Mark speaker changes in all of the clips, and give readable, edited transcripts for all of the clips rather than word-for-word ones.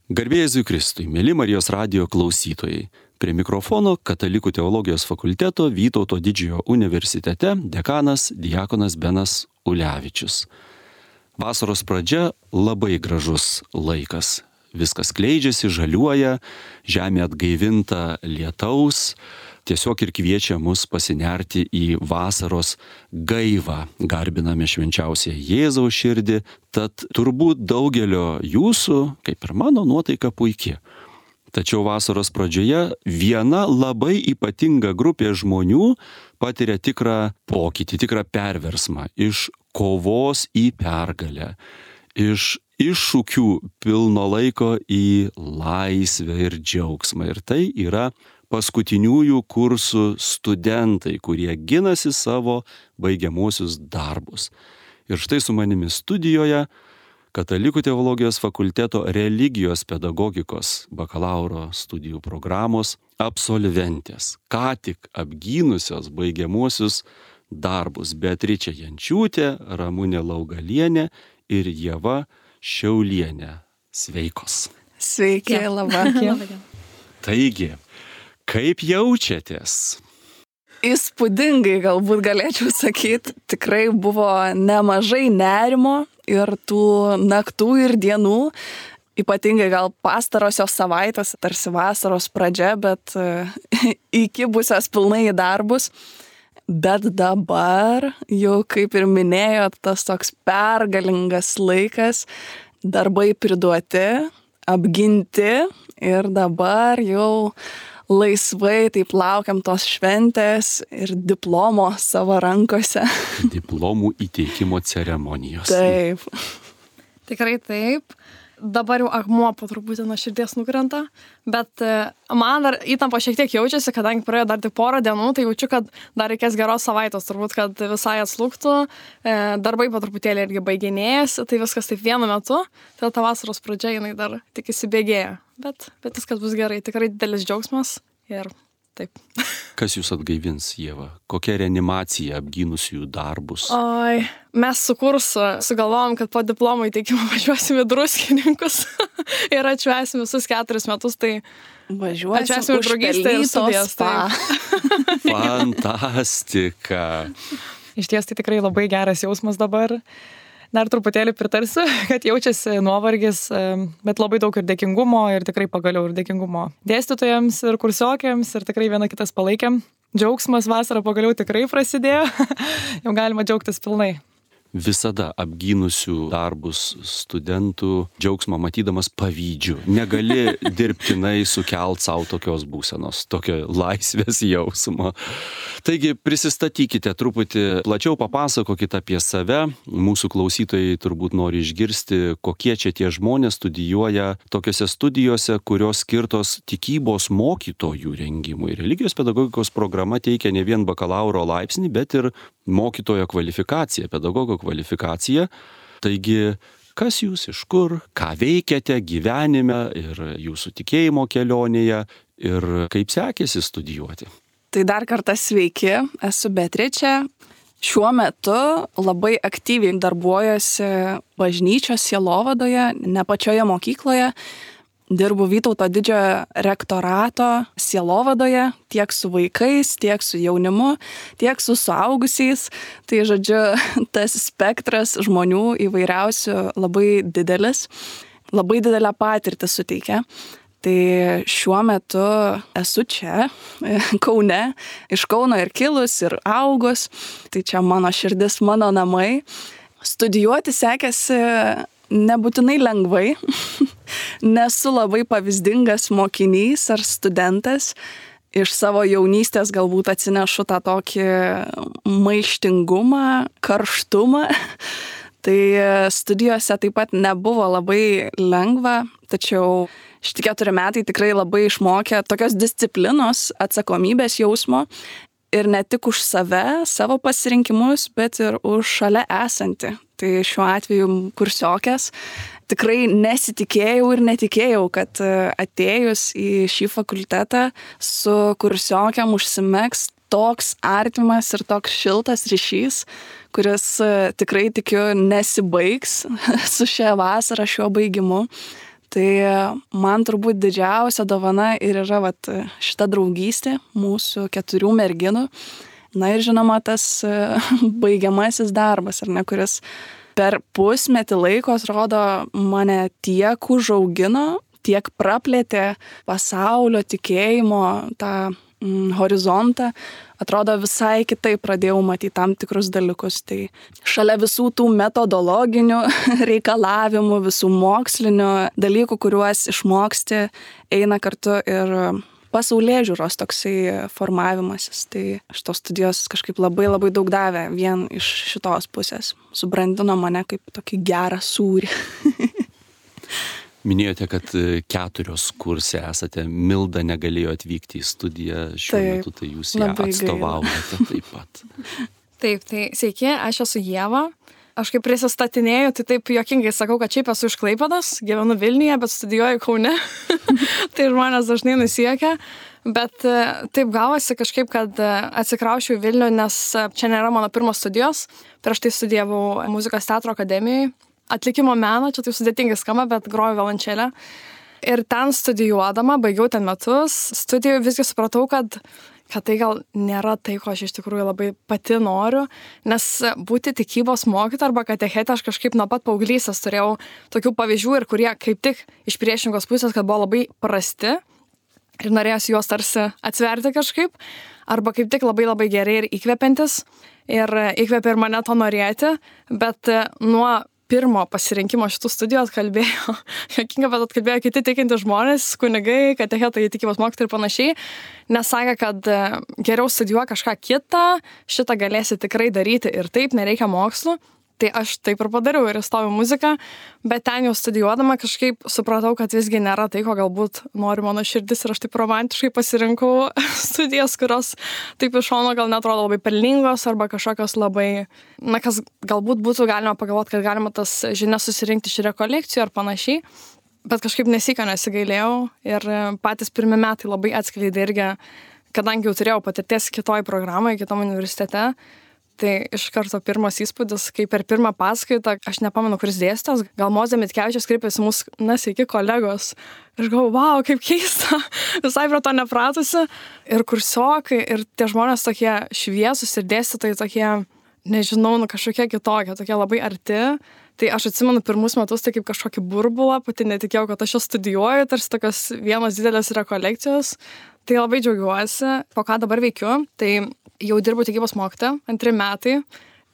Speaker 1: Garbė Jėzui Kristui, mėly Marijos radijo klausytojai. Prie mikrofono Katalikų teologijos fakulteto Vytauto Didžiojo universitete dekanas diakonas Benas Ulevičius. Vasaros pradžia labai gražus laikas. Viskas kleidžiasi, žaliuoja, žemė atgaivinta lietaus. Tiesiog ir kviečia mus pasinerti į vasaros gaivą. Garbiname švenčiausią Jėzaus širdį, tad turbūt daugelio jūsų, kaip ir mano, nuotaika puiki. Tačiau vasaros pradžioje viena labai ypatinga grupė žmonių patiria tikrą pokytį, tikrą perversmą iš kovos į pergalę, iš iššūkių pilno laiko į laisvę ir džiaugsmą. Ir tai yra paskutiniųjų kursų studentai, kurie ginasi savo baigiamuosius darbus. Ir štai su manimi studijoje Katalikų teologijos fakulteto religijos pedagogikos bakalauro studijų programos absolventės, ką tik apgynusios baigiamuosius darbus Beatričė Jančiūtė, Ramunė Laugalienė ir Ieva Šiaulienė. Sveikos.
Speaker 2: Sveiki, laba.
Speaker 1: Taigi, kaip jaučiatės?
Speaker 2: Įspūdingai galbūt galėčiau sakyti, tikrai buvo nemažai nerimo ir tų naktų ir dienų, ypatingai gal pastarosios savaitės, tarsi vasaros pradžia, bet įkibusios pilnai į darbus. Bet dabar, jau kaip ir minėjot, tas toks pergalingas laikas, darbai priduoti, apginti ir dabar jau laisvai taip laukiam tos šventės ir diplomo savo rankose.
Speaker 1: Diplomų įteikimo ceremonijos.
Speaker 2: Taip.
Speaker 3: Tikrai taip. Dabar jau akmuo po truputį nuo širdies nukrenta, bet man dar įtampa šiek tiek jaučiasi, kadangi praėjo dar tik porą dienų, tai jaučiu, kad dar reikės geros savaitės, turbūt, kad visai atslūgtų, darbai po truputėlį irgi baiginėjasi, tai viskas taip vienu metu, tai ta vasaros pradžia jinai dar tik įsibėgėja, bet viskas bus gerai, tikrai didelis džiaugsmas ir taip.
Speaker 1: Kas jūs atgaivins, Ieva? Kokia reanimacija apgynusiųjų darbus?
Speaker 3: Oi, mes su kursu sugalvojom, kad po diplomo įteikimo važiuosim į Druskininkus ir atšvęsim visus 4 metus, tai
Speaker 2: Važiuosim
Speaker 3: už draugystę ir studijas.
Speaker 1: Fantastika.
Speaker 4: Iš ties tai tikrai labai geras jausmas dabar. Dar truputėlį pritarsiu, kad jaučiasi nuovargis, bet labai daug ir dėkingumo ir tikrai pagaliau ir dėkingumo dėstytojams ir kursiokiams ir tikrai viena kitas palaikėm. Džiaugsmas vasarą pagaliau tikrai prasidėjo, jau galima džiaugtis pilnai.
Speaker 1: Visada apgynusių darbus studentų džiaugsmą matydamas pavydžiu. Negali dirbtinai sukelt savo tokios būsenos, tokio laisvės jausmo. Taigi prisistatykite truputį, plačiau papasakokite apie save. Mūsų klausytojai turbūt nori išgirsti, kokie čia tie žmonės studijuoja tokiose studijose, kurios skirtos tikybos mokytojų rengimui. Religijos pedagogikos programa teikia ne vien bakalauro laipsnį, bet ir mokytojo kvalifikaciją, pedagogo kvalifikaciją. Taigi, kas jūs iš kur, ką veikiate gyvenime ir jūsų tikėjimo kelionėje ir kaip sekėsi studijuoti?
Speaker 2: Tai dar kartą sveiki, esu Beatričė. Šiuo metu labai aktyviai darbuojuosi bažnyčios sielovadoje, ne pačioje mokykloje. Dirbu Vytauto Didžiojo rektorato sielovadoje, tiek su vaikais, tiek su jaunimu, tiek su suaugusiais. Tai, žodžiu, tas spektras žmonių įvairiausių labai didelis, labai didelę patirtį suteikia. Tai šiuo metu esu čia, Kaune, iš Kauno ir kilus, ir augus. Tai čia mano širdis, mano namai. Studijuoti sekėsi nebūtinai lengvai. Nesu labai pavyzdingas mokinys ar studentas. Iš savo jaunystės galbūt atsinešu tą tokį maištingumą, karštumą. Tai studijose taip pat nebuvo labai lengva, tačiau šitie 4 metai tikrai labai išmokė tokios disciplinos, atsakomybės jausmo. Ir ne tik už save, savo pasirinkimus, bet ir už šalia esantį. Tai šiuo atveju kursiokės tikrai nesitikėjau ir netikėjau, kad atėjus į šį fakultetą su kursiokiam užsimegs toks artimas ir toks šiltas ryšys, kuris tikrai tikiu nesibaigs su šia vasara, šiuo baigimu. Tai man turbūt didžiausia dovana ir yra vat, šita draugystė mūsų 4 merginų. Na ir žinoma, tas baigiamasis darbas, ar ne, kuris per pusmetį laiko, atrodo, mane tiek užaugino, tiek praplėtė pasaulio tikėjimo tą horizontą. Atrodo, visai kitaip pradėjau matyti tam tikrus dalykus. Tai šalia visų tų metodologinių reikalavimų, visų mokslinių dalykų, kuriuos išmoksti, eina kartu ir pasaulėžiūros toksai formavimasis. Tai šitos studijos kažkaip labai labai daug davė vien iš šitos pusės. Subrandino mane kaip tokį gerą sūrį.
Speaker 1: Minėjote, kad 4 kurse esate. Milda negalėjo atvykti į studiją šiuo metu, tai jūs ją atstovaujate taip pat.
Speaker 3: Taip, tai sveiki, aš esu Ieva. Aš kaip prisistatinėju, tai taip juokingai sakau, kad šiaip esu iš Klaipėdos, gyvenu Vilniuje, bet studijuoju Kaune. Tai žmonės dažnai nusiekia. Bet taip gavosi kažkaip, kad atsikrausčiau į Vilnių, nes čia nėra mano pirmos studijos. Prieš tai studijavau muzikos teatro akademijoje. Atlikimo meno, čia tai sudėtingai skamba, bet groju violončelę. Ir ten studijuodama, baigiau ten metus, studijų visgi supratau, kad tai gal nėra tai, ko aš iš tikrųjų labai pati noriu, nes būti tikybos mokytoja arba katechetė aš kažkaip nuo pat paauglystės turėjau tokių pavyzdžių ir kurie kaip tik iš priešingos pusės, kad buvo labai prasti ir norėjosi juos tarsi atsverti kažkaip, arba kaip tik labai labai gerai ir įkvepiantis ir įkvepia ir mane to norėti, bet nuo pirmo pasirinkimo šitų studijų atkalbėjo, jokinga, bet atkalbėjo kiti tikinti žmonės, kunigai, katechetai, tikybos mokytojai ir panašiai, nes sakė, kad geriau studijuoja kažką kitą, šitą galėsi tikrai daryti ir taip, nereikia mokslų. Tai aš taip ir padariau ir įstojau muziką, bet ten jau studijuodama kažkaip supratau, kad visgi nėra tai, ko galbūt nori mano širdis ir aš taip romantiškai pasirinkau studijas, kurios taip iš šono gal netrodo labai pelningos arba kažkokios labai, na kas galbūt būtų galima pagalvoti, kad galima tas žinias susirinkti iš rekolekcijų ar panašiai, bet kažkaip nesika nesigailėjau ir patys pirmi metai labai atskleidė irgi, kadangi jau turėjau patirties kitoj programoje, kitom universitete. Tai iš karto pirmas įspūdis, kai per pirmą paskaitą, aš nepamenu, kuris dėstytojas, gal Mozė Mitkevičius kreipėsi mūsų, sveiki kolegos. Ir galvoju, wow, kaip keista, visai prie to nepratusi. Ir kursiokai, ir tie žmonės tokie šviesus ir dėstytojai tokie, nežinau, kažkokie kitokie, tokie labai arti. Tai aš atsimenu pirmus metus tai kaip kažkokį burbulą, pati netikėjau, kad aš čia studijuoju, tarsi tokios vienos didelės rekolekcijos. Tai labai džiaugiuosi, po ką dabar veikiu. Tai jau dirbu tikybos mokytoja, 2 metai,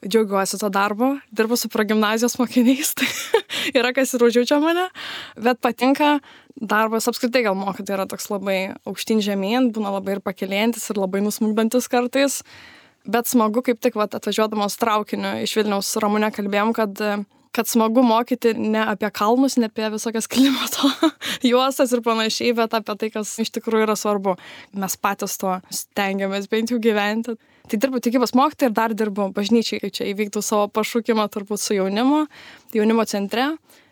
Speaker 3: džiaugiuosi to darbo, dirbu su progimnazijos mokiniais, tai yra kas ir užjaučia mane, bet patinka darbas apskritai gal mokytoja yra toks labai aukštyn žemyn, būna labai ir pakeliantis ir labai nusmukdantis kartais, bet smagu kaip tik atvažiuodamos traukiniu iš Vilniaus su Ramune kalbėjom, kad smagu mokyti ne apie kalnus, ne apie visokias klimato juostas ir panašiai, bet apie tai, kas iš tikrųjų yra svarbu. Mes patys to stengiamės bent jau gyventi. Tai dirbu tikybos mokytoja ir dar dirbu bažnyčiai, kai čia įvyktų savo pašūkimą turbūt su jaunimo centre.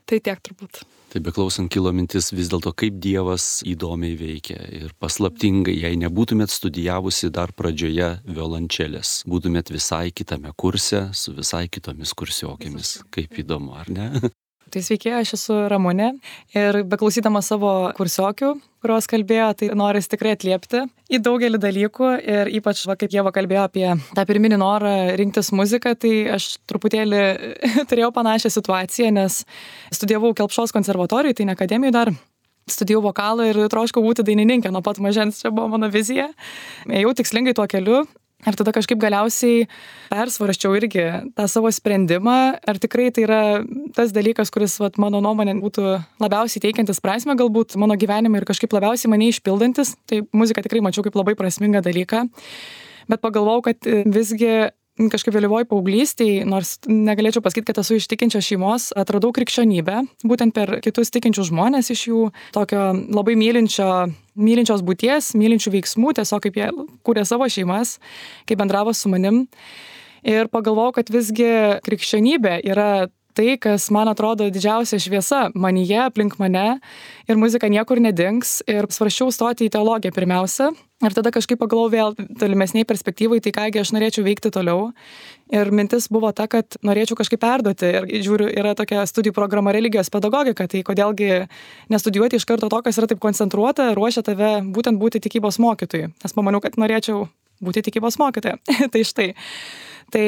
Speaker 3: Tai tiek turbūt.
Speaker 1: Tai beklausant kilo mintis vis dėlto, kaip Dievas įdomiai veikia ir paslaptingai, jei nebūtumėt studijavusi dar pradžioje violončelės, būtumėt visai kitame kurse su visai kitomis kursiokėmis. Kaip įdomu, ar ne?
Speaker 4: Tai sveiki, aš esu Ramunė ir beklausydama savo kursiokių, kurios kalbėjo, tai noris tikrai atliepti į daugelį dalykų ir ypač, kaip Ieva kalbėjo apie tą pirminį norą rinktis muziką, tai aš truputėlį turėjau panašią situaciją, nes studijavau Kelpšos konservatorijai, tai ne akademijai dar. Studijavau vokalą ir troškau būti dainininkė nuo pat mažens, čia buvo mano vizija. Ėjau tikslingai tuo keliu. Ir tada kažkaip galiausiai persvarščiau irgi tą savo sprendimą, ar tikrai tai yra tas dalykas, kuris mano nuomonė būtų labiausiai teikiantis prasmę galbūt mano gyvenime ir kažkaip labiausiai mane išpildantis. Tai muziką tikrai mačiau kaip labai prasmingą dalyką, bet pagalvojau, kad visgi kažkaip vėlyvoj paauglystėj, nors negalėčiau pasakyti, kad esu iš tikinčios šeimos, atradau krikščionybę, būtent per kitus tikinčius žmonės iš jų tokio labai mylinčios būties, mylinčių veiksmų, tiesiog kaip jie kūrė savo šeimas, kaip bendravo su manim. Ir pagalvojau, kad visgi krikščionybė yra tai, kas man atrodo didžiausia šviesa manyje, aplink mane ir muzika niekur nedings. Ir svarsčiau stoti į teologiją pirmiausia. Ir tada kažkaip pagalvojau vėl tolimesniai perspektyvai, tai kągi aš norėčiau veikti toliau. Ir mintis buvo ta, kad norėčiau kažkaip perduoti. Ir žiūriu, yra tokia studijų programa religijos pedagogika, tai kodėlgi nestudijuoti iš karto to, kas yra taip koncentruota, ruošia tave būtent būti tikybos mokytojui. Nes pamaniau, kad norėčiau būti tikybos mokytoja. Tai štai. Tai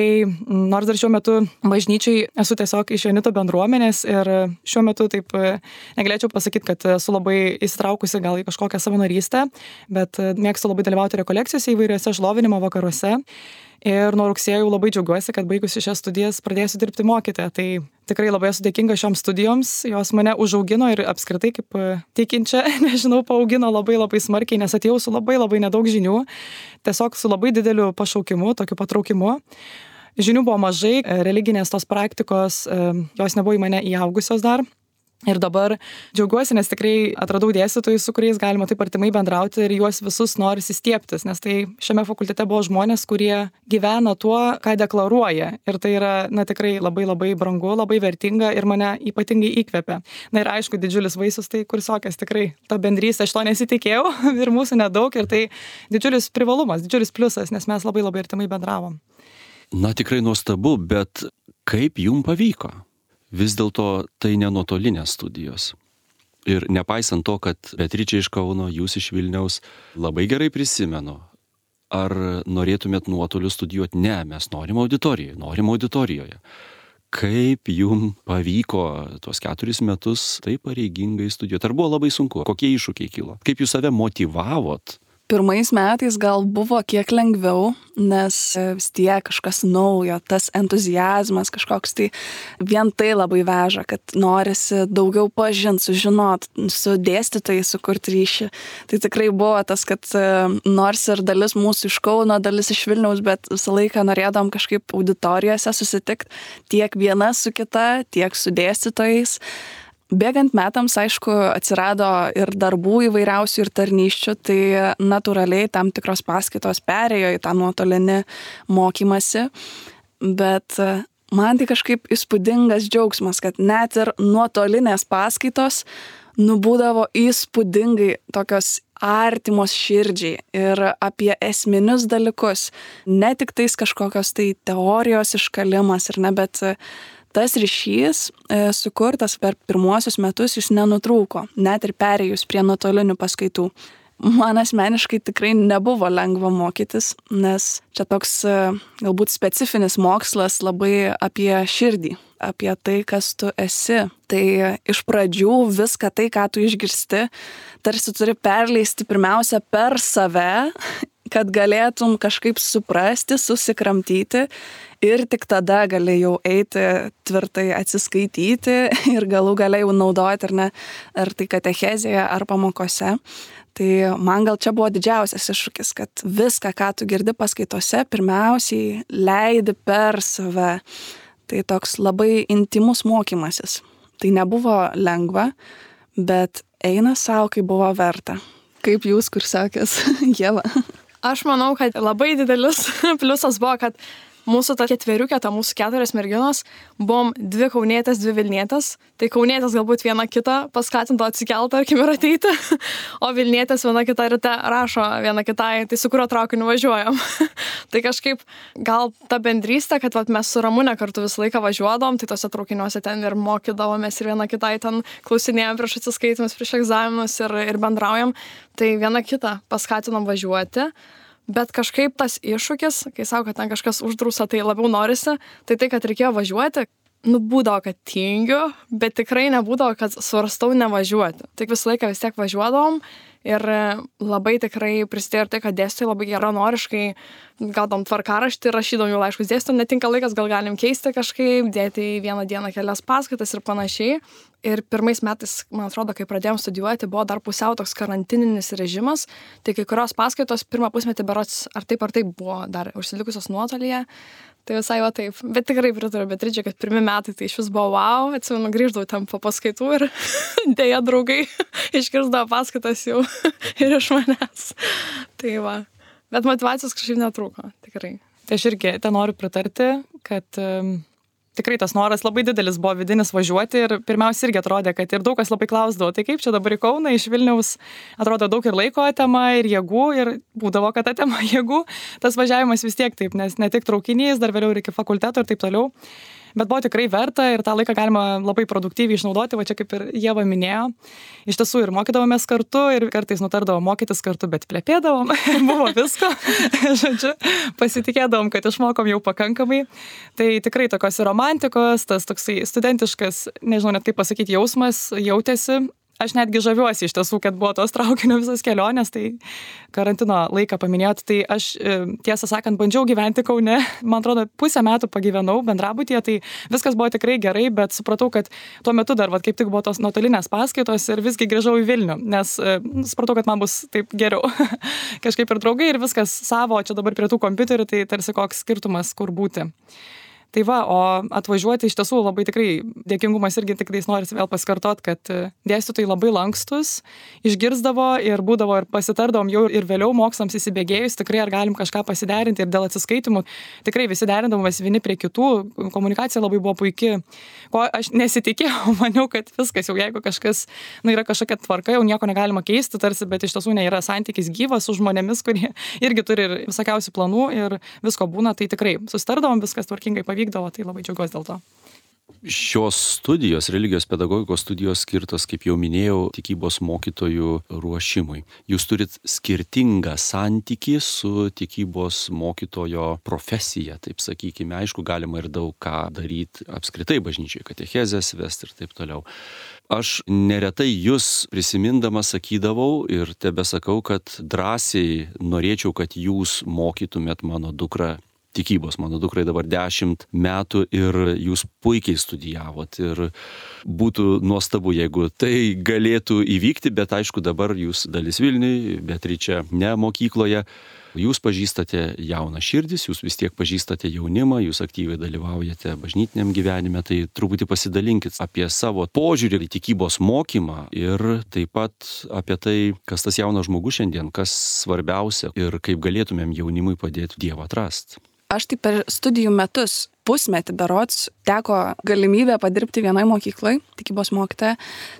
Speaker 4: nors dar šiuo metu bažnyčiai esu tiesiog iš Jonito bendruomenės ir šiuo metu taip negalėčiau pasakyti, kad esu labai įsitraukusi gal į kažkokią savanorystę, bet mėgstu labai dalyvauti rekolekcijose įvairiuose šlovinimo vakaruose. Ir nuo rugsėjo jau labai džiaugiuosi, kad baigusi šias studijas pradėsiu dirbti mokytoja. Tai tikrai labai esu dėkinga šioms studijoms, jos mane užaugino ir apskritai kaip tikinčia, nežinau, paaugino labai smarkiai, nes atėjau su labai nedaug žinių, tiesiog su labai dideliu pašaukimu, tokiu patraukimu. Žinių buvo mažai, religinės tos praktikos, jos nebuvo į mane įaugusios dar. Ir dabar džiaugiuosi, nes tikrai atradau dėstytojus, su kuriais galima taip artimai bendrauti ir juos visus norisi stiebtis, nes tai šiame fakultete buvo žmonės, kurie gyvena tuo, ką deklaruoja. Ir tai yra, tikrai labai brangu, labai vertinga ir mane ypatingai įkvepia. Ir aišku, didžiulis vaisius tai kursiokės, tikrai ta bendrystė, aš to nesitikėjau ir mūsų nedaug ir tai didžiulis privalumas, didžiulis pliusas, nes mes labai artimai bendravom.
Speaker 1: Tikrai nuostabu, bet kaip jum pavyko? Vis dėlto tai ne nuotolinės studijos. Ir nepaisant to, kad Beatričė iš Kauno, jūs iš Vilniaus, labai gerai prisimenu. Ar norėtumėt nuotoliu studijuoti? Ne, mes norim auditorijoje. Kaip jum pavyko tuos 4 metus taip pareigingai studijuoti? Ar buvo labai sunku? Kokie iššūkiai kilo? Kaip jūs save motyvavot?
Speaker 2: Pirmais metais gal buvo kiek lengviau, nes vis tiek kažkas naujo, tas entuziazmas kažkoks, tai vien tai labai veža, kad norisi daugiau pažinti, sužinot, su dėstytojai sukurti ryšį. Tai tikrai buvo tas, kad nors ir dalis mūsų iš Kauno, dalis iš Vilniaus, bet visą laiką norėdom kažkaip auditorijose susitikti tiek viena su kita, tiek su dėstytojais. Bėgant metams, aišku, atsirado ir darbų įvairiausių ir tarnysčių, tai natūraliai tam tikros paskaitos perėjo į tą nuotolinį mokymasi, bet man tai kažkaip įspūdingas džiaugsmas, kad net ir nuotolinės paskaitos būdavo įspūdingai tokios artimos širdžiai ir apie esminius dalykus, ne tik tais kažkokios tai teorijos iškalimas ir ne, bet tas ryšys sukurtas per pirmuosius metus jis nenutrūko, net ir perėjus prie nuotolinių paskaitų. Man asmeniškai tikrai nebuvo lengva mokytis, nes čia toks galbūt specifinis mokslas labai apie širdį, apie tai, kas tu esi. Tai iš pradžių viską tai, ką tu išgirsti, tarsi turi perleisti pirmiausia per save, kad galėtum kažkaip suprasti, susikramtyti ir tik tada gali jau eiti tvirtai atsiskaityti ir galų gale jau naudoti ar tai katechezėje, ar pamokose. Tai man gal čia buvo didžiausias iššūkis, kad viską, ką tu girdi paskaitose, pirmiausiai leidi per save. Tai toks labai intimus mokymasis. Tai nebuvo lengva, bet eina savo, kai buvo verta. Kaip jūs, kur sakės, Ieva?
Speaker 3: Aš manau, kad labai didelis pliusas buvo, kad mūsų ta ketveriukė, ta mūsų 4 merginos, buvom 2 kaunietės, 2 vilnietės. Tai kaunietės galbūt viena kitą paskatinto atsikelti, tarkim, ir ateiti, o vilnietės viena kita ryte rašo viena kitai, tai su kurio traukiniu važiuojam. Tai kažkaip gal ta bendrystė, kad mes su Ramūne kartu visą laiką važiuodom, tai tose traukiniuose ten ir mokydavomės ir viena kitai ten klausinėjom prieš atsiskaitimus, prieš egzaminus ir bendraujam. Tai viena kitą paskatinom važiuoti. Bet kažkaip tas iššūkis, kai sako, kad ten kažkas uždrausa, tai labiau norisi, tai kad reikėjo važiuoti, būdavo, kad tingiu, bet tikrai nebūdavo, kad svarstau nevažiuoti. Tik visą laiką vis tiek važiuodavom ir labai tikrai prisidėjo ir tai, kad dėstytojai labai geranoriškai gaudom tvarkaraštį, rašydom jų laiškus dėstytojam, netinka laikas, gal galim keisti kažkaip, dėti į vieną dieną kelias paskaitas ir panašiai. Ir pirmais metais, man atrodo, kai pradėjom studijuoti, buvo dar pusiau toks karantininis režimas, tai kai kurios paskaitos pirmą pusmetį berods ar taip buvo dar užsilikusios nuotolyje, tai visai va taip. Bet tikrai pritariu Beatričė, kad pirmi metai tai iš vis buvo wow, atsimenu, grįždavau ten po paskaitų ir dėja draugai iškirsdavo paskaitas jau ir iš manęs. Tai va. Bet motyvacijos kažkaip netrūko, tikrai.
Speaker 4: Tai aš irgi ten noriu pritarti, kad tikrai tas noras labai didelis buvo vidinis važiuoti ir pirmiausia irgi atrodė, kad ir daug kas labai klausdavo, tai kaip čia dabar į Kauną iš Vilniaus, atrodo daug ir laiko atema, ir jėgų, ir būdavo, kad atema jėgų, tas važiavimas vis tiek taip, nes ne tik traukinys, dar vėliau ir iki fakulteto ir taip toliau. Bet buvo tikrai verta ir tą laiką galima labai produktyviai išnaudoti, va čia kaip ir Ieva minėjo. Iš tiesų ir mokydavomės kartu ir kartais nutardavom mokytis kartu, bet plepėdavom, buvo visko. Žodžiu, pasitikėdavom, kad išmokom jau pakankamai. Tai tikrai tokios ir romantikos, tas toksai studentiškas, nežinau net kaip pasakyti, jausmas jautėsi. Aš netgi žaviuosi iš tiesų, kad buvo tos traukinio visas kelionės, tai karantino laiką paminėjot, tai aš tiesą sakant bandžiau gyventi Kaune, man atrodo pusę metų pagyvenau bendrabutyje, tai viskas buvo tikrai gerai, bet supratau, kad tuo metu dar kaip tik buvo tos nuotolinės paskaitos ir visgi grįžau į Vilnių, nes supratau, kad man bus taip geriau. Kažkaip ir draugai ir viskas savo, čia dabar prie tų kompiuterių, tai tarsi koks skirtumas, kur būti. Tai va, o atvažiuoti iš tiesų labai tikrai dėkingumas irgi tikrais norisi vėl pasikartot, kad dėstytojai labai lankstus, išgirsdavo ir būdavo ir pasitardavom jau ir vėliau mokslams įsibėgėjus, tikrai ar galim kažką pasiderinti ir dėl atsiskaitimų, tikrai visi derindavomės vieni prie kitų, komunikacija labai buvo puiki, ko aš nesitikėjau, maniau, kad viskas jau jeigu kažkas, yra kažkokia tvarka, jau nieko negalima keisti tarsi, bet iš tiesų nėra santykis gyvas su žmonėmis, kurie irgi turi ir visokiausių planų ir visko būna, tai tikrai susitardavom, viskas tvarkingai pavykdavo, tai labai džiaugiuosi dėl to.
Speaker 1: Šios studijos, religijos pedagogikos studijos skirtos, kaip jau minėjau, tikybos mokytojų ruošimui. Jūs turit skirtingą santykį su tikybos mokytojo profesija, taip sakykime. Aišku, galima ir daug ką daryti apskritai bažnyčiai, katechezės vesti ir taip toliau. Aš neretai jūs prisimindamas sakydavau ir tebesakau, kad drąsiai norėčiau, kad jūs mokytumėt mano dukrą tikybos. Mano dukrai dabar 10 metų ir jūs puikiai studijavot ir būtų nuostabu, jeigu tai galėtų įvykti, bet aišku dabar jūs dalis Vilniui, Beatričė ne mokykloje. Jūs pažįstate jauną širdis, jūs vis tiek pažįstate jaunimą, jūs aktyviai dalyvaujate bažnytiniam gyvenime, tai truputį pasidalinkit apie savo požiūrį į tikybos mokymą ir taip pat apie tai, kas tas jaunas žmogus šiandien, kas svarbiausia ir kaip galėtumėm jaunimui padėti Dievą atrasti.
Speaker 2: Aš tai per studijų metus, pusmetį berods, teko galimybę padirbti vienai mokyklai, tikybos mokytoja,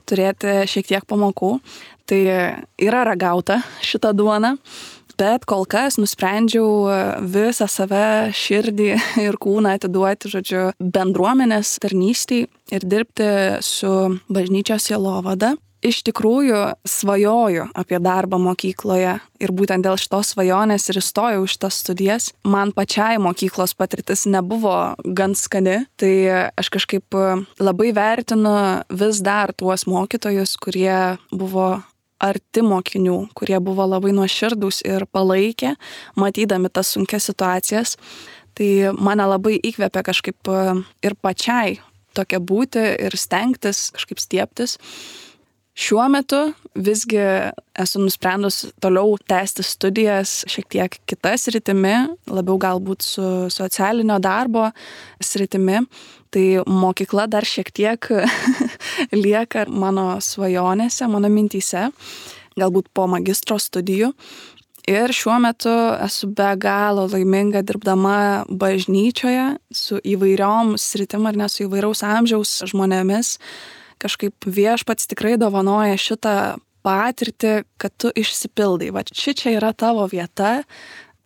Speaker 2: turėti šiek tiek pamokų. Tai yra ragauta šitą duoną, bet kol kas nusprendžiau visą save, širdį ir kūną atiduoti, žodžiu, bendruomenės tarnystei ir dirbti su bažnyčios sielovada. Iš tikrųjų svajoju apie darbą mokykloje ir būtent dėl šitos svajonės ir įstojau iš tas studijas. Man pačiai mokyklos patirtis nebuvo gan skani, tai aš kažkaip labai vertinu vis dar tuos mokytojus, kurie buvo arti mokinių, kurie buvo labai nuoširdūs ir palaikė, matydami tas sunkias situacijas. Tai mane labai įkvėpė kažkaip ir pačiai tokia būti ir stengtis, kažkaip stiebtis. Šiuo metu visgi esu nusprendus toliau tęsti studijas šiek tiek kita sritimi, labiau galbūt su socialinio darbo sritimi. Tai mokykla dar šiek tiek lieka mano svajonėse, mano mintyse, galbūt po magistro studijų. Ir šiuo metu esu be galo laiminga dirbdama bažnyčioje su įvairiom sritim ar ne su įvairaus amžiaus žmonėmis. Kažkaip Viešpats tikrai dovanoja šitą patirtį, kad tu išsipildai. Va čia yra tavo vieta,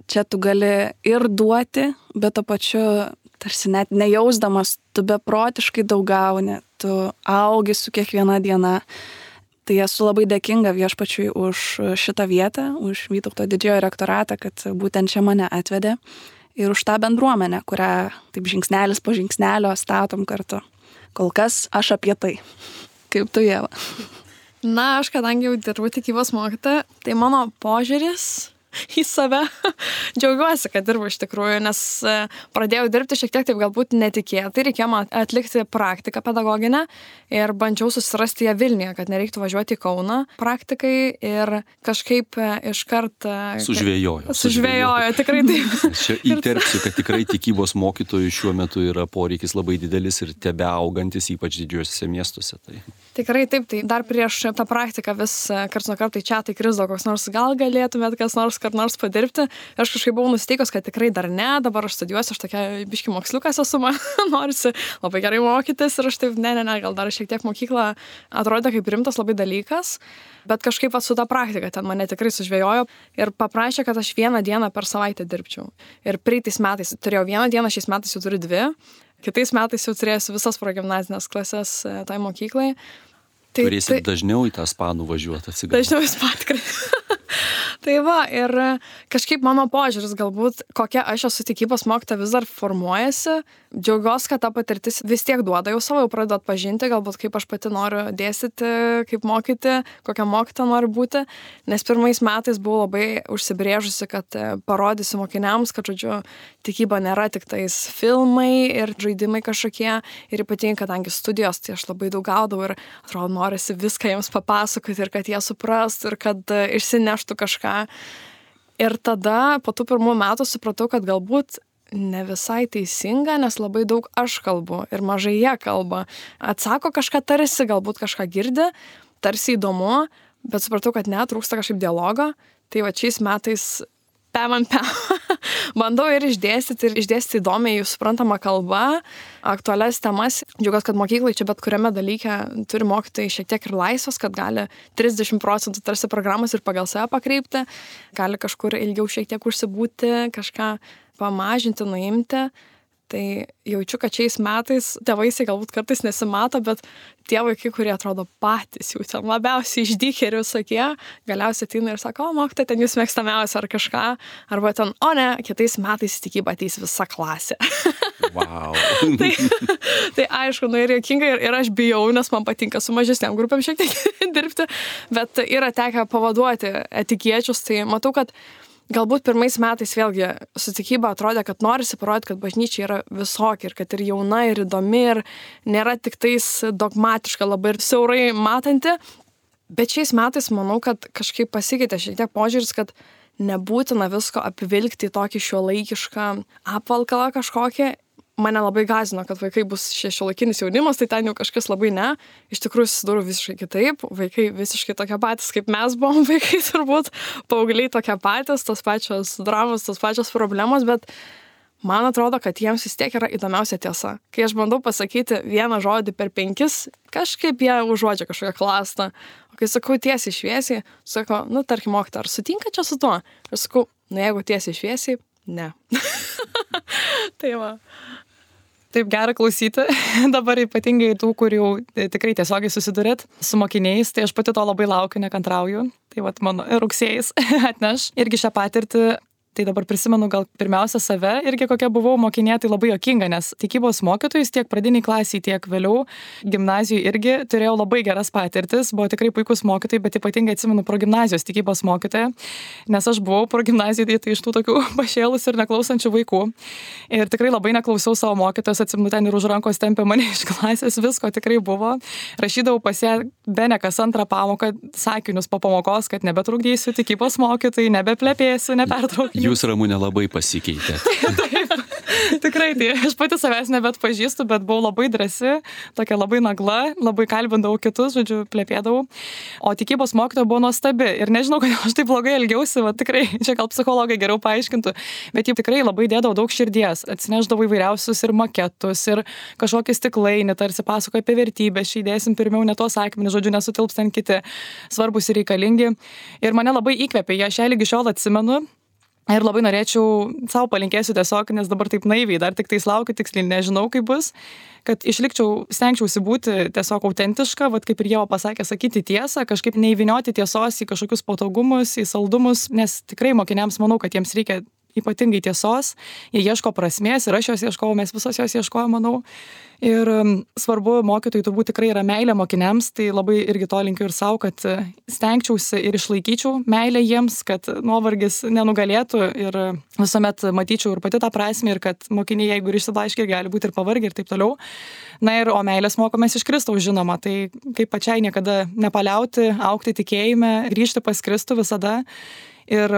Speaker 2: čia tu gali ir duoti, bet to pačiu tarsi net nejausdamas, tu beprotiškai daug gauni, tu augi su kiekviena diena. Tai esu labai dėkinga Viešpačiui už šitą vietą, už Vytauto didžiojo rektoratą, kad būtent čia mane atvedė ir už tą bendruomenę, kurią taip žingsnelis po žingsnelio statom kartu. Kol kas aš apie tai. Kaip tu, Ieva?
Speaker 3: Na, aš kadangi jau dirbu tikybos mokytoja, tai mano požiūris į save. Džiaugiuosi, kad dirbu iš tikrųjų, nes pradėjau dirbti šiek tiek taip galbūt netikėtai, reikėjo man atlikti praktiką pedagoginę ir bandžiau susirasti ją Vilniuje, kad nereiktų važiuoti į Kauną praktikai ir kažkaip iškart... Sužvėjojo, tikrai taip.
Speaker 1: Čia įterpsiu, kad tikrai tikybos mokytojų šiuo metu yra poreikis labai didelis ir tebeaugantis, ypač didžiuosiuose miestuose.
Speaker 3: Tikrai taip, tai dar prieš tą praktiką vis karts nuo karto į čiatą įkrisdavo koks nors, gal galėtumėt kas nors padirbti. Aš kažkaip buvau nusiteikus, kad tikrai dar ne, dabar aš studijuosiu, aš tokia biški moksliukas esu, man norisi labai gerai mokytis ir aš taip, ne, gal dar šiek tiek mokykla atrodė kaip rimtas labai dalykas, bet kažkaip su tą praktiką ten mane tikrai sužvejojo ir paprašė, kad aš 1 dieną per savaitę dirbčiau. Ir praeitais metais turėjau 1 dieną, šiais metais jau turiu 2, kitais metais jau turėsiu visas progimnazinės klases tai mokyklai.
Speaker 1: Turėsit dažniau į tą spa nuvažiuoti atsigauti.
Speaker 3: Dažniau į spa tikrai. Tai va, ir kažkaip mano požiūris galbūt, kokia aš esu tikybos mokytoja vis dar formuojasi. Džiaugiuosi, kad ta patirtis vis tiek duoda jau savo, jau pradedu atpažinti, galbūt kaip aš pati noriu dėstyti, kaip mokyti, kokią mokytoją noriu būti. Nes pirmais metais buvau labai užsibrėžusi, kad parodysiu mokiniams, kad, žodžiu, tikyba nėra tik tais filmai ir žaidimai kažkokie. Ir ypatingai, kadangi studijos, tai aš labai daug gaudavau ir atrodo, norisi viską jiems papasakoti ir kad jie suprastų ir kad išsineštų kažką. Ir tada po tų pirmų metų supratau, kad galbūt ne visai teisinga, nes labai daug aš kalbu ir mažai jie kalba. Atsako kažką tarsi, galbūt kažką girdi, tarsi įdomu, bet supratau, kad trūksta kažkaip dialogo. Tai va šiais metais bandau ir išdėstyti įdomiai jų suprantamą kalbą, aktualias temas. Džiaugiuosi, kad mokyklai čia bet kuriame dalyke turi mokytojai šiek tiek ir laisvas, kad gali 30% tarsi programos ir pagal save pakreipti, gali kažkur ilgiau šiek tiek užsibūti, kažką pamažinti, nuimti. Tai jaučiu, kad šiais metais tėvaisiai galbūt kartais nesimato, bet tie vaikai, kurie atrodo patys jau ten labiausiai išdykę ir visokie, galiausiai ateina ir sako, o mokytoja, ten jūs mėgstamiausia ar kažką, arba ten, o ne, kitais metais į tikybą ateis visa klasė.
Speaker 1: Wow.
Speaker 3: tai aišku, ir juokinga ir aš bijau, nes man patinka su mažesniam grupėm šiek tiek dirbti, bet yra tekę pavaduoti etikiečius, tai matau, kad galbūt pirmais metais vėlgi su tikyba atrodė, kad norisi parodyti, kad bažnyčia yra visokia ir kad ir jauna, ir įdomi, ir nėra tik tais dogmatiška labai ir siaurai matanti. Bet šiais metais manau, kad kažkaip pasikeitė šiek tiek požiūris, kad nebūtina visko apvilkti į tokį šiuolaikišką apvalkalą kažkokį. Mane labai gąsdino, kad vaikai bus šiuolaikinis jaunimas, tai ten jau kažkas labai ne. Iš tikrųjų susidūriau visiškai kitaip. Vaikai visiškai tokie patys, kaip mes buvom vaikai turbūt. Paaugliai tokie patys, tos pačios dramos, tos pačios problemos, bet man atrodo, kad jiems vis tiek yra įdomiausia tiesa. Kai aš bandau pasakyti vieną žodį per 5, kažkaip jie užuodžia kažkokią klastą. O kai sakau tiesiai šviesiai, sako, tarkim, mokytoja, ar sutinka čia su tuo? Aš sakau, jeigu tiesiai šviesiai, ne. Tai va.
Speaker 4: Taip gera klausyti, dabar ypatingai tų, kurių tikrai tiesiogiai susidurėt su mokiniais, tai aš pati to labai laukiu, nekantrauju. Tai vat mano rugsėjais atneš irgi šią patirtį. Tai dabar prisimenu gal pirmiausia save, irgi kokia buvau mokinė, tai labai juokinga, nes tikybos mokytojus tiek pradiniai klasiai, tiek vėliau gimnazijų irgi turėjau labai geras patirtis, buvo tikrai puikus mokytojai, bet ypatingai atsimenu progimnazijos tikybos mokytoją, nes aš buvau progimnazijoje tai iš tų tokių pašėlus ir neklausančių vaikų. Ir tikrai labai neklausiau savo mokytojos, atsimenu ten ir už rankos tempė mane iš klasės, visko tikrai buvo. Rašydavau pas ją bene kas antrą pamoką sakinius po pamokos, kad nebetrukdysiu tikybos mokytojai, nebeplepėsiu, nepertraukiu.
Speaker 1: Jūs, Ramūnė, labai pasikeitė.
Speaker 4: Taip, tikrai, tai aš pati savęs nebetpažįstu, bet buvau labai drąsi, tokia labai nagla, labai kalbindavau kitus, žodžiu, plepėdavau. O tikybos mokytoja buvo nuostabi ir nežinau, kodėl aš taip blogai elgiausi, va tikrai, čia gal psichologai geriau paaiškintų, bet ji tikrai labai dėdavo daug širdies, atsineždavo įvairiausius ir maketus, ir kažkokį stiklainį, tarsi pasakoja apie vertybės, čia įdėsim pirmiau ne tuos akmenis, žodžiu, nesutilps ten kiti svarbus ir reikalingi. Ir mane labai įkvėpė, aš ją lygi šiol atsimenu. Ir labai norėčiau, savo palinkėsiu tiesiog, nes dabar taip naiviai, dar tik tais laukiu, tiksliai nežinau, kaip bus, kad stengčiausi būti tiesiog autentiška, vat kaip ir Ieva pasakė, sakyti tiesą, kažkaip neįvinioti tiesos į kažkokius patogumus, į saldumus, nes tikrai mokiniams manau, kad jiems reikia ypatingai tiesos, jie ieško prasmės ir aš jos ieškojau, mes visos jos ieškojom, manau. Ir svarbu mokytojai turbūt tikrai yra meilė mokiniams, tai labai irgi to linkiu ir savo, kad stengčiausi ir išlaikyčiau meilę jiems, kad nuovargis nenugalėtų ir visuomet matyčiau ir pati tą prasmę ir kad mokiniai, jeigu ir išsiblaškė, gali būti ir pavargę ir taip toliau. Na ir o meilės mokomės iš Kristaus, žinoma, tai kaip pačiai niekada nepaliauti, augti tikėjime, grįžti pas Kristų visada. ir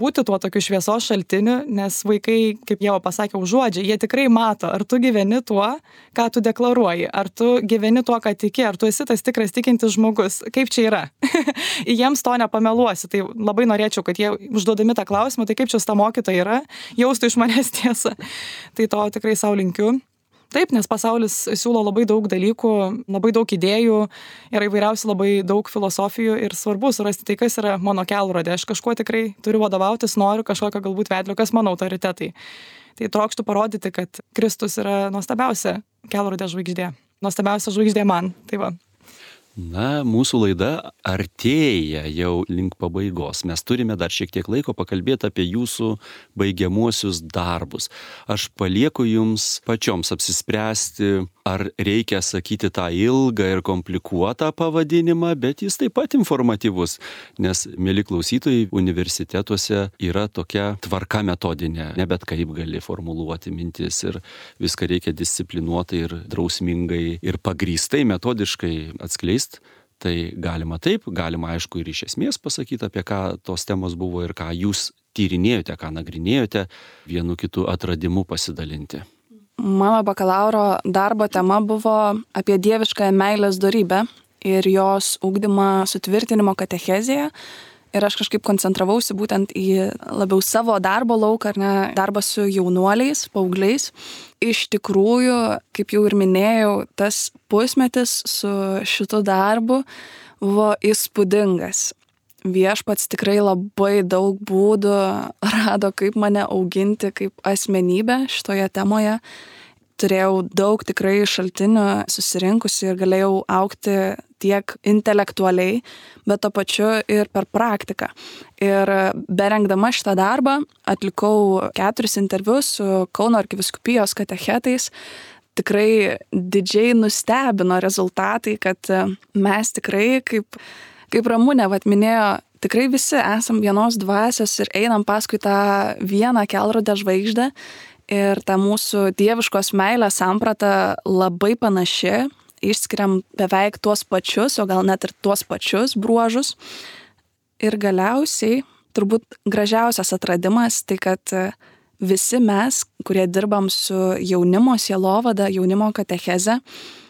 Speaker 4: būti tuo tokiu šviesos šaltiniu, nes vaikai, kaip Ieva pasakė, užuodžia, jie tikrai mato, ar tu gyveni tuo, ką tu deklaruoji, ar tu gyveni tuo, ką tiki, ar tu esi tas tikras tikintis žmogus, kaip čia yra. Jiems to nepameluosi, tai labai norėčiau, kad jie užduodami tą klausimą, tai kaip čia ta mokytoja yra, jaustų iš manęs tiesą. Tai to tikrai sau linkiu. Taip, nes pasaulis siūlo labai daug dalykų, labai daug idėjų, yra įvairiausių labai daug filosofijų ir svarbu surasti tai, kas yra mano kelrodė. Aš kažkuo tikrai turiu vadovautis, noriu kažkokio galbūt vedlio, kas mano autoritetai. Tai trokštų parodyti, kad Kristus yra nuostabiausia kelrodė žvaigždė. Nuostabiausia žvaigždė man. Tai va.
Speaker 1: Na, mūsų laida artėja jau link pabaigos. Mes turime dar šiek tiek laiko pakalbėti apie jūsų baigiamuosius darbus. Aš palieku jums pačioms apsispręsti, ar reikia sakyti tą ilgą ir komplikuotą pavadinimą, bet jis taip pat informatyvus, nes, mieli klausytojai, universitetuose yra tokia tvarka metodinė, ne bet kaip gali formuluoti mintis ir viską reikia disciplinuotai ir drausmingai ir pagrįstai, metodiškai atskleisti. Tai galima taip, galima aišku ir iš esmės pasakyti, apie ką tos temos buvo ir ką jūs tyrinėjote, ką nagrinėjote, vienu kitu atradimu pasidalinti.
Speaker 2: Mano bakalauro darbo tema buvo apie dieviškąją meilės dorybę ir jos ugdymą sutvirtinimo katechezėje. Ir aš kažkaip koncentravausi būtent į labiau savo darbo lauką, ar ne, darbą su jaunuoliais, paaugliais. Iš tikrųjų, kaip jau ir minėjau, tas pusmetis su šitu darbu buvo įspūdingas. Viešpats tikrai labai daug būdų rado, kaip mane auginti kaip asmenybę šitoje temoje. Turėjau daug tikrai šaltinių susirinkusi ir galėjau augti tiek intelektualiai, bet to pačiu ir per praktiką. Ir berengdama šitą darbą atlikau 4 interviu su Kauno arkivyskupijos katechetais. Tikrai didžiai nustebino rezultatai, kad mes tikrai, kaip Ramunė minėjo, tikrai visi esam vienos dvasios ir einam paskui tą vieną kelrodę žvaigždę. Ir ta mūsų dieviškos meilės samprata labai panaši, išskiriam beveik tuos pačius, o gal net ir tuos pačius bruožus. Ir galiausiai, turbūt gražiausias atradimas, tai kad visi mes, kurie dirbam su jaunimo sielovada, jaunimo katecheze,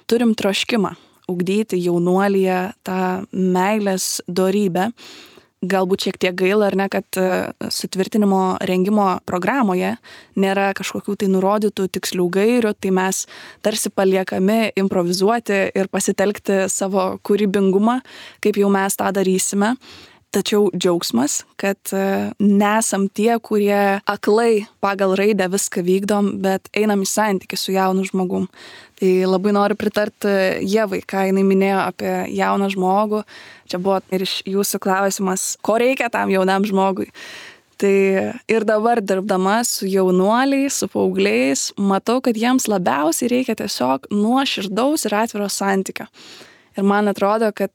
Speaker 2: turim troškimą ugdyti jaunuolyje tą meilės dorybę. Galbūt šiek tiek gaila, ar ne, kad sutvirtinimo rengimo programoje nėra kažkokių tai nurodytų tikslių gairių, tai mes tarsi paliekami improvizuoti ir pasitelkti savo kūrybingumą, kaip jau mes tą darysime. Tačiau džiaugsmas, kad nesam tie, kurie aklai pagal raidę viską vykdom, bet einam į santykį su jaunu žmogum. Tai labai noriu pritarti Ievai, ką jinai minėjo apie jauną žmogų. Čia buvo ir iš jūsų klausimas, ko reikia tam jaunam žmogui. Tai ir dabar dirbdama su jaunuoliais, su paaugliais, matau, kad jiems labiausiai reikia tiesiog nuoširdaus ir atviro santykio. Ir man atrodo, kad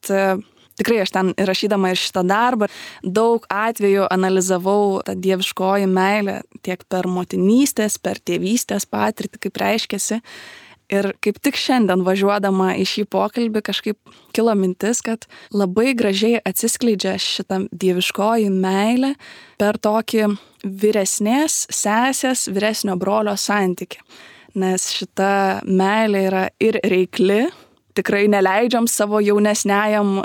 Speaker 2: tikrai aš ten rašydama ir šitą darbą daug atvejų analizavau tą dieviškoji meilę tiek per motinystės, per tėvystės patirtį, kaip reiškiasi. Ir kaip tik šiandien važiuodama į šį pokalbį kažkaip kilo mintis, kad labai gražiai atsiskleidžia šitą dieviškoji meilė per tokį vyresnės sesės, vyresnio brolio santykį. Nes šita meilė yra ir reikli, tikrai neleidžiam savo jaunesniajam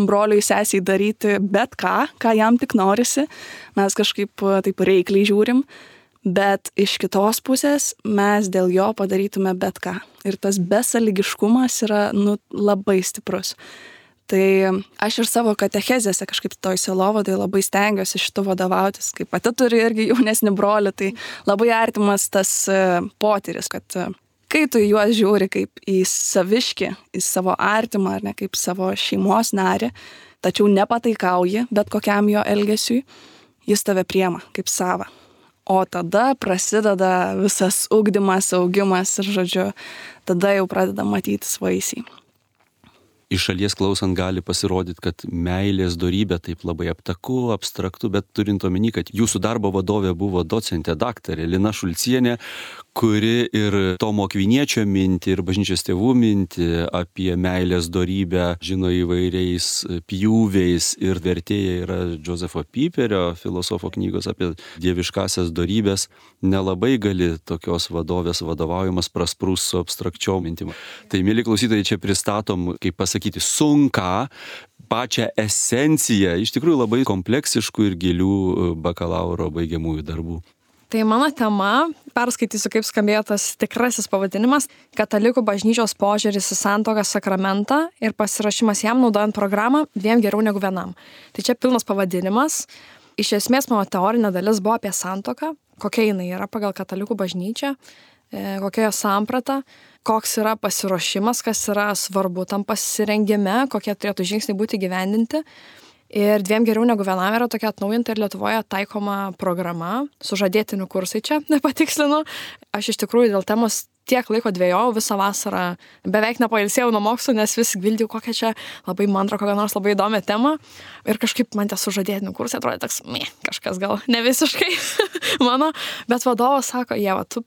Speaker 2: broliui sesiai daryti bet ką jam tik norisi. Mes kažkaip taip reikliai žiūrim. Bet iš kitos pusės mes dėl jo padarytume bet ką. Ir tas besąlygiškumas yra labai stiprus. Tai aš ir savo katechezėse kažkaip toj sielovadoj labai stengiuosi šitu vadovautis. Kaip pati turi irgi jaunesnį brolį, tai labai artimas tas potyris, kad kai tu juos žiūri kaip į saviškį, į savo artimą ar ne kaip savo šeimos narį, tačiau nepataikauji bet kokiam jo elgesiui, jis tave priema kaip savą. O tada prasideda visas ugdymas, augimas ir, žodžiu, tada jau pradeda matytis vaisiai.
Speaker 1: iš šalies klausant gali pasirodyti, kad meilės dorybė taip labai aptaku, abstraktu, bet turint omeny, kad jūsų darbo vadovė buvo docentė daktarė Lina Šulcienė, kuri ir Tomo Akviniečio mintį, ir bažnyčios tėvų mintį apie meilės dorybę žino įvairiais pjūviais, ir vertėja yra Josefo Piperio, filosofo knygos apie dieviškasias dorybės, nelabai gali tokios vadovės vadovaujamas prasprūs su abstrakčiom mintim. Tai, mėly klausytojai, čia pristatom, kaip pasakyti, sunką, pačią esenciją, iš tikrųjų labai kompleksiškų ir gilių bakalauro baigiamųjų darbų.
Speaker 3: Tai mano tema, perskaitysiu, kaip skambėjo tas tikrasis pavadinimas - Katalikų bažnyčios požiūris į santuoką sakramentą ir pasirašymas jam naudojant programą dviem geriau negu vienam. Tai čia pilnas pavadinimas. Iš esmės mano teorinė dalis buvo apie santuoką, kokia jinai yra pagal katalikų bažnyčią, kokia jo samprata, koks yra pasiruošimas, kas yra svarbu tam pasirengime, kokie turėtų žingsniai būti gyvendinti. Ir dviem geriau negu vienam yra tokia atnaujinta ir Lietuvoje taikoma programa, sužadėtinių kursai čia, nepatikslinu. Aš iš tikrųjų dėl temos tiek laiko dvejojau, visą vasarą beveik nepailsėjau nuo mokslų, nes vis gvildėjau kokią čia labai mantrą, kokią nors labai įdomią temą. Ir kažkaip man tie sužadėtinių kursai atrodė toks, kažkas gal ne visiškai mano, bet vadovas sako, Ieva, tu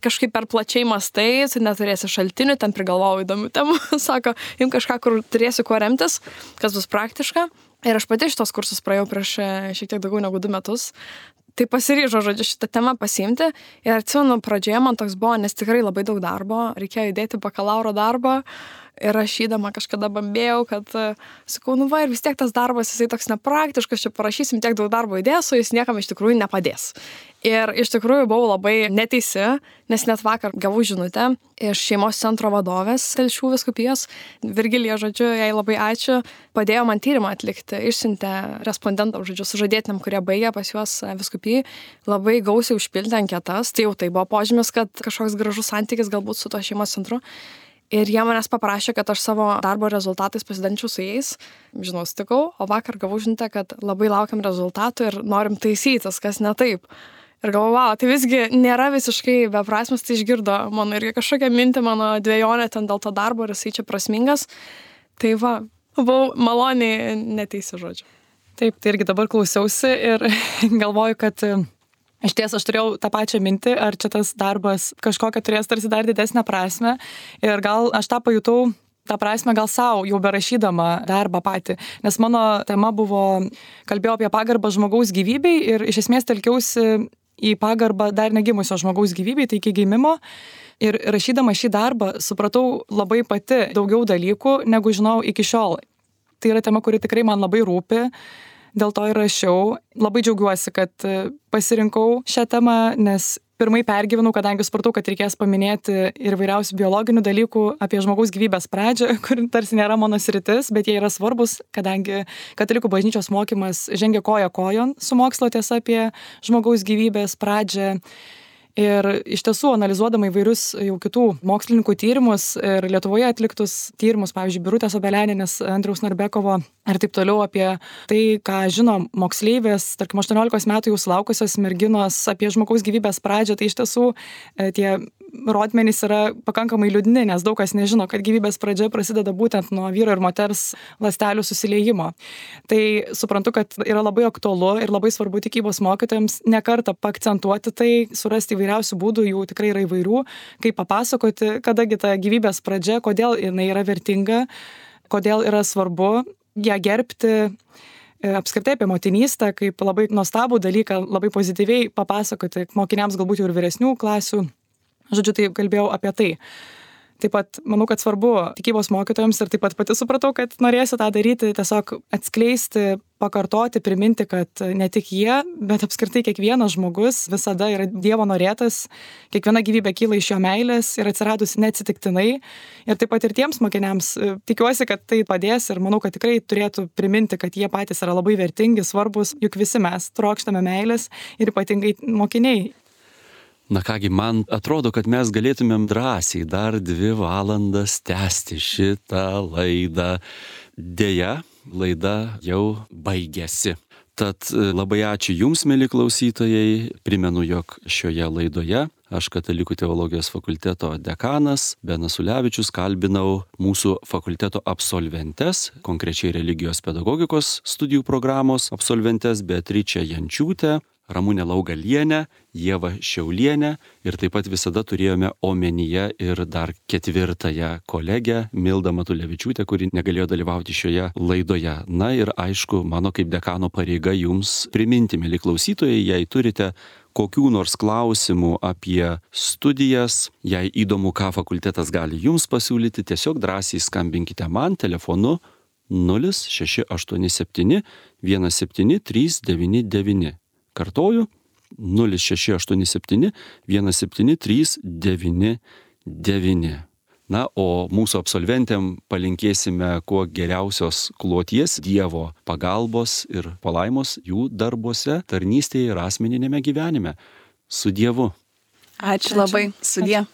Speaker 3: kažkaip per plačiai mastai, tu neturėsi šaltinių, ten prigalvojau įdomių temų, sako, jums kažką, kur turėsi kuo remtis, kas bus praktiška. Ir aš pati šitos kursus praėjau prieš šiek tiek daugiau negu 2 metus. Tai pasiryžau, žodžiu, šitą temą pasiimti. Ir atsimenu, pradžioje man toks buvo, nes tikrai labai daug darbo, reikėjo įdėti bakalauro darbą. Ir rašydama kažkada bambėjau, kad, sakau, ir vis tiek tas darbas, jisai toks nepraktiškas, čia parašysim tiek daug darbo įdėsiu, jis niekam iš tikrųjų nepadės. Ir iš tikrųjų buvau labai neteisi, nes net vakar gavau žinutę iš šeimos centro vadovės Telšių vyskupijos. Virgilija, žodžiu, jai labai ačiū, padėjo man tyrimą atlikti, išsiuntė respondentam, žodžiu, sužadėtiniam, kurie baigė pas juos vyskupijai, labai gausiai užpildė anketas. Tai jau tai buvo požymis, kad kažkoks gražus santykis galbūt su to šeimos centru. Ir jie manęs paprašė, kad aš savo darbo rezultatais pasidalinčiau su jais. Žinau, sutikau, o vakar gavau žinutę, kad labai laukiam rezultatų ir norim taisytis, kas ne taip. Ir galvojau, tai visgi nėra visiškai beprasmis, tai išgirdo mano irgi kažkokią mintį, mano dvejonę ten dėl to darbo ir jisai čia prasmingas. Tai va, buvau maloniai neteisi, žodžiu.
Speaker 4: Taip, tai irgi dabar klausiausi ir galvoju, kad iš ties aš turėjau tą pačią mintį, ar čia tas darbas kažkokią turės tarsi dar didesnę prasmę. Ir gal aš tą pajutau, tą prasmę gal savo, jau berašydama darbą patį. Nes mano tema buvo, kalbėjau apie pagarbą žmogaus gyvybei ir iš esmės telkiausi į pagarbą dar negimusio žmogaus gyvybei, tai iki gimimo. Ir rašydama šį darbą supratau labai pati daugiau dalykų, negu žinau iki šiol. Tai yra tema, kuri tikrai man labai rūpi. Dėl to ir rašiau. Labai džiaugiuosi, kad pasirinkau šią temą, nes pirmai pergyvenau, kadangi supratau, kad reikės paminėti ir vairiausių biologinių dalykų apie žmogaus gyvybės pradžią, kur tarsi nėra mano sritis, bet jie yra svarbus, kadangi katalikų bažnyčios mokymas žengia koja kojon su mokslo tiesa apie žmogaus gyvybės pradžią. Ir iš tiesų, analizuodama įvairius jau kitų mokslininkų tyrimus ir Lietuvoje atliktus tyrimus, pavyzdžiui, Birutės Obeleninės, Andriaus Narbekovo ir taip toliau apie tai, ką žino moksleivės, tarkim, 18 metų jau sulaukusios merginos apie žmogaus gyvybės pradžią, tai iš tiesų tie rodmenys yra pakankamai liūdni, nes daug kas nežino, kad gyvybės pradžia prasideda būtent nuo vyro ir moters ląstelių susiliejimo. Tai suprantu, kad yra labai aktualu ir labai svarbu tikybos mokytojams ne kartą paakcentuoti tai, surasti įvairiausių būdų, jų tikrai yra įvairių, kaip papasakoti, kadagi ta gyvybės pradžia, kodėl jinai yra vertinga, kodėl yra svarbu ją gerbti, apskritai apie motinystę, kaip labai nuostabų dalyką, labai pozityviai papasakoti mokiniams galbūt jau ir vyresnių klasių. Žodžiu, tai kalbėjau apie tai. Taip pat manau, kad svarbu tikybos mokytojams ir taip pat pati supratau, kad norėsiu tą daryti, tiesiog atskleisti, pakartoti, priminti, kad ne tik jie, bet apskritai kiekvienas žmogus visada yra Dievo norėtas, kiekviena gyvybė kyla iš jo meilės ir atsiradusi neatsitiktinai. Ir taip pat ir tiems mokiniams tikiuosi, kad tai padės ir manau, kad tikrai turėtų priminti, kad jie patys yra labai vertingi, svarbus, juk visi mes trokštame meilės ir ypatingai mokiniai.
Speaker 1: Na kągi, man atrodo, kad mes galėtumėm drąsiai dar 2 valandas tęsti šitą laidą. Deja, laida jau baigėsi. Tad labai ačiū Jums, mieli klausytojai. Primenu, jog šioje laidoje Aš Katalikų teologijos fakulteto dekanas Benas Ulevičius kalbinau mūsų fakulteto absolventes, konkrečiai religijos pedagogikos studijų programos absolventes Beatričę Jančiūtę, Ramunę Laugalienę, Ievą Šiaulienę ir taip pat visada turėjome omenyje ir dar ketvirtąją kolegę Mildą Matulevičiūtę, kuri negalėjo dalyvauti šioje laidoje. Na ir aišku, mano kaip dekano pareiga jums priminti, mieli klausytojai, jei turite kokių nors klausimų apie studijas, jei įdomu, ką fakultetas gali jums pasiūlyti, tiesiog drąsiai skambinkite man telefonu 0687 17399. Kartoju, 0687 17399. Na, o mūsų absolventėm palinkėsime kuo geriausios kloties, Dievo pagalbos ir palaimos jų darbuose, tarnystėje ir asmeninėme gyvenime. Su Dievu.
Speaker 2: Ačiū labai. Sudie.